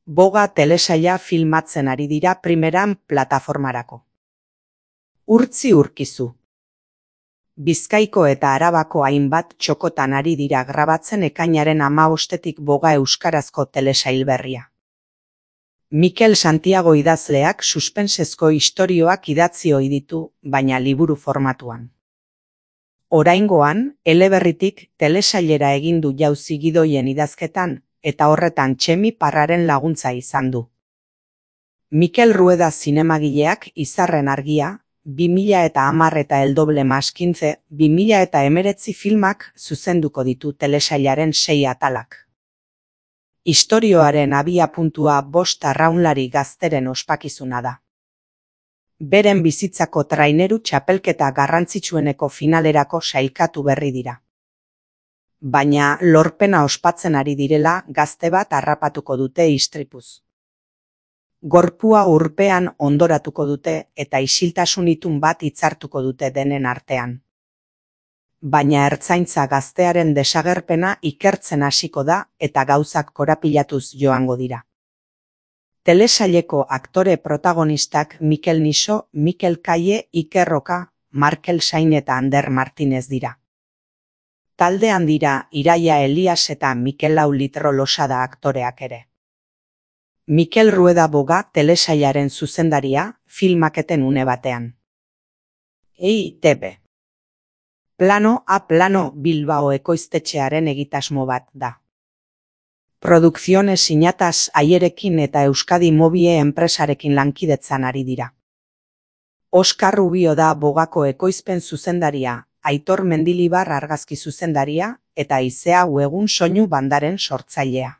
Boga telesaila filmatzen ari dira primeran plataformarako. Urtzi urkizu. Bizkaiko eta Arabako hainbat txokotan ari dira grabatzen ekainaren 15etik Boga euskarazko telesail berria. Mikel Santiago idazleak suspensezko istorioak idatzi ohi ditu, baina liburu formatuan. Oraingoan, eleberritik telesailera egin du Jauzi Gidoien idazketan, eta horretan Txemi Parraren laguntza izan du. Mikel Rueda zinemagileak Izarren argia, 2010 eta El doble más 15, 2019 filmak zuzenduko ditu telesailaren 6 atalak. Istorioaren abiapuntua 5 arraunlari gazteren ospakizuna da. Beren bizitzako traineru txapelketa garrantzitsueneko finalerako sailkatu berri dira. Baina lorpena ospatzen ari direla gazte bat harrapatuko dute istripuz. Gorpua urpean ondoratuko dute eta isiltasun itun bat hitzartuko dute denen artean. Baina ertzaintza gaztearen desagerpena ikertzen hasiko da eta gauzak korapilatuz joango dira. Telesaileko aktore protagonistak Mikel Niso, Mikel Kaie, Iker Roka, Markel Sain eta Ander Martinez dira. Taldean dira Iraia Elias eta Mikel Litro Losada aktoreak ere. Mikel Rueda Boga telesailaren zuzendaria, filmaketen une batean. EITB. Plano a plano Bilbao ekoiztetxearen egitasmo bat da. Produkziones Sinatas Aierekin eta Euskadi Mobie enpresarekin lankidetzan ari dira. Oskar Rubio da Bogako ekoizpen zuzendaria, Aitor Mendilibar argazki zuzendaria eta Izea Uegun soinu bandaren sortzailea.